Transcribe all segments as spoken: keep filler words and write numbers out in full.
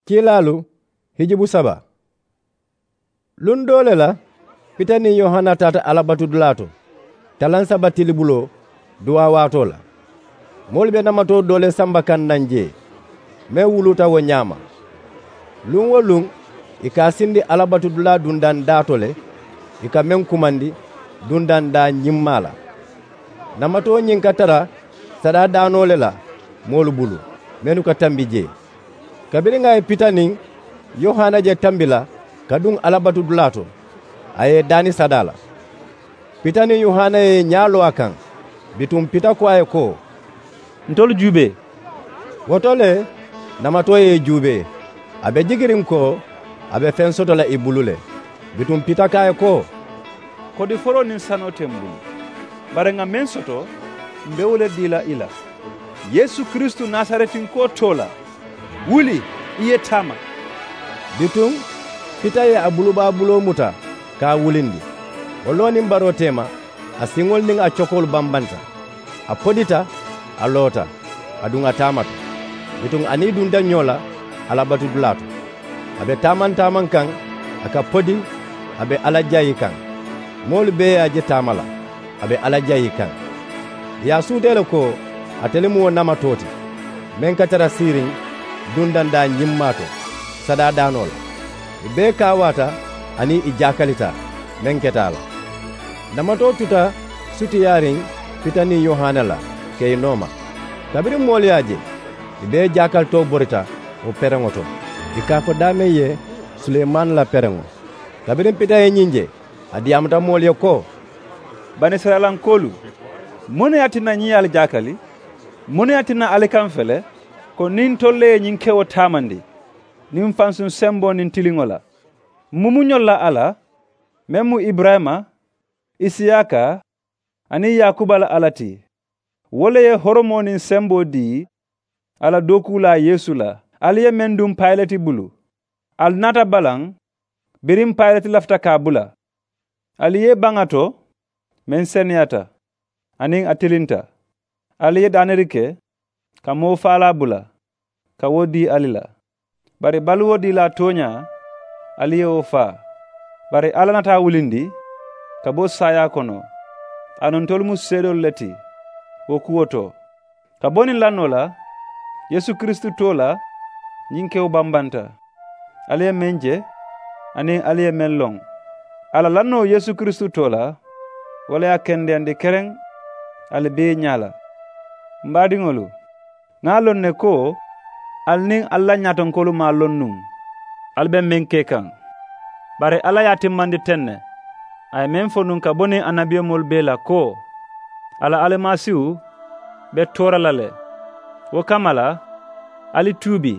Kiilaalu hijubu saba. Luŋ doo le la, pita niŋ yohana taata alabatudulaa to talaŋ saba tilibuloo duwaa waatoo la. Moolu be namatoo doo le samba kaŋ naŋ jee meŋ wuluuta wo ñaama. Luŋ-wo-luŋ ì ka a sindi alabatudulaa dundaŋ daa to le, ì ka meŋ kumandi dundaŋ daa ñimmaa la. Namatoo ñiŋ ka tara sadaa daanoo le la moolu bulu mennu ka tambi jee. Kabiriŋ a ye pita niŋ yohana je tambi la ka duŋ alabatudulaa to, a ye ì daani sadaa la. Pita niŋ yohana ye ì ñaa loo a kaŋ. Bituŋ pita ko a ye ko, ntolu juubee. Wo to le namatoo ye ì juubee, a be jikiriŋ ko a be feŋ soto la ì bulu le. Bituŋ pita ko a ye ko, kodi foroo niŋ sanoo te m bulu, bari ŋà meŋ soto m be wo le dii la i la. Yeesu kiristu nasaretinkoo too la, wuli i ye taama. Bituŋ pita ye a bulubaabuloo muta ka a wulindi. Wo loo niŋ baroo teema, a siŋolu niŋ a cokoolu bambanta. A podita, a loota, aduŋ a taamata. Bituŋ a niŋ ì dunta ñoo la alabatudulaa to. A be taamaŋ-taamaŋ kaŋ, a ka podi, a be alla jayi kaŋ. Moolu bee ye a je taama la, a be alla jayi kaŋ. Ì ye a suutee le ko ate le mu wo namatoo ti meŋ ka tara siiriŋ dundandaa ñimmaa to sadaa daanoo la. Ì bee kaawaata aniŋ ì jaakalita meŋ keta a la. Namatoo tuta sutiyaariŋ pita niŋ yohana la ka ì nooma. Kabiriŋ moolu ye a je, ì bee jaakalitoo borita wo pereŋo to, ì ka a fo daameŋ ye suleemaani la pereŋo. Kabiriŋ pita ye ñiŋ je, a diyaamuta moolu ye ko, banisirayilankoolu, muŋ ne ye a tinna ñiŋ ye ali jaakali? Muŋ ne ye a tinna ali ka m fele ko niŋ ntolu le ye ñiŋ kewo taamandi, niŋ fansuŋ semboo niŋ tiliŋo la? M mu muñolu la alla, meŋ mu iburayima, isiyaaka aniŋ yaakuba la alla ti. Wo le ye horomoo niŋ semboo dii a la dookuulaa yeesu la. Ali ye meŋ duŋ payileti bulu, ali naata balaŋ biriŋ payileti lafita ka a bula. Ali ye baŋ a to meŋ seneyaata aniŋ a tilinta. Ali ye daaniri ke ka moo faalaa bula ka wo dii ali la. Bari baluwo diilaa tooñaa, ali ye wo faa. Bari alla naata a wulindi ka bo saayaa kono. Aduŋ ntolu mu seedoolu le ti wo kuwo to. Ka bo niŋ lannoo la yeesu kiristu too la, ñiŋ kewo bambanta. Ali ye meŋ je aniŋ ali ye meŋ loŋ, a la lannoo yeesu kiristu too la, wo le ye a kendeyandi kereŋ ali bee ñaa la. M baadiŋolu, ŋà a loŋ ne ko ali niŋ ali la ñaatonkoolu maŋ a loŋ nuŋ ali be meŋ ke kaŋ. Bari alla ye a timmandi teŋ ne, a ye meŋ fo nuŋ ka bo niŋ annabiyomoolu bee la ko, a la alimasiihu be toora la le. Wo kamma la, ali tuubi,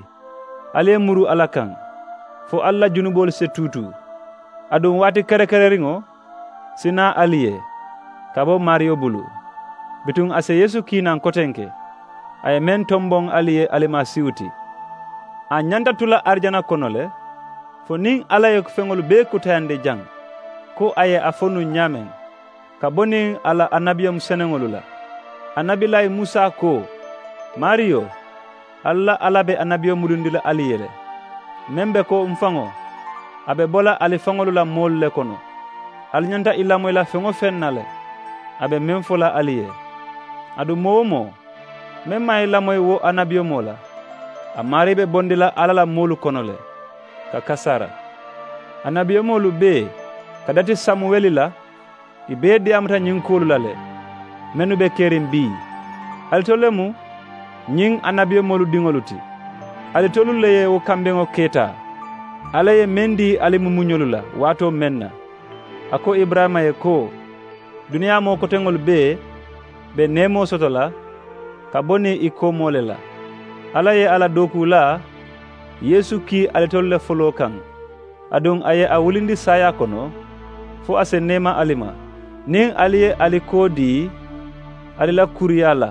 ali ye muru alla kaŋ, fo ali la junuboolu si tuutuu. Aduŋ waati kerekereriŋo si naa ali ye ka bo maariyo bulu. Bituŋ a si yeesu kii naŋ kotenke, a ye meŋ tomboŋ ali ye alimasiihu ti. A ñanta tu la arijana kono le, fo niŋ alla ye feŋolu bee kutayandi jaŋ, ko a ye a fo nuŋ ñaameŋ ka bo niŋ a la annabiyomu seneŋolu la. Annabilaayi musa ko, maariyo, ali la alla be annabiyo mulundi la ali ye le, meŋ be ko m faŋo, a be bo la ali faŋolu la moolu le kono. Ali ñanta ì lamoyi la feŋ-wo-feŋ na le, a be meŋ fo la ali ye. Aduŋ moo-wo-moo meŋ maŋ ì lamoyi wo annabiyomoo la, a maarii be bondi la alla la moolu kono le ka kasaara. Annabiyomoolu bee ka dati samuweli la, ì bee diyaamuta ñiŋ kuwolu la le, mennu be keriŋ bii. Ali tolu le mu ñiŋ annabiyomoolu diŋolu ti. Ali tolu le ye wo kambeŋo keetaa. Alla ye meŋ dii ali mumuñolu la waatoo meŋ na, a ko iburayima ye ko, duniyaa moo koteŋolu bee be neemoo soto la ka bo niŋ ì koomoo le la. Alla ye a la dookuulaa yeesu kii alitolu le foloo kaŋ. Aduŋ a ye a wulindi saayaa kono fo a si neema ali ma, niŋ ali ye ali koo dii ali la kuuriyaa la.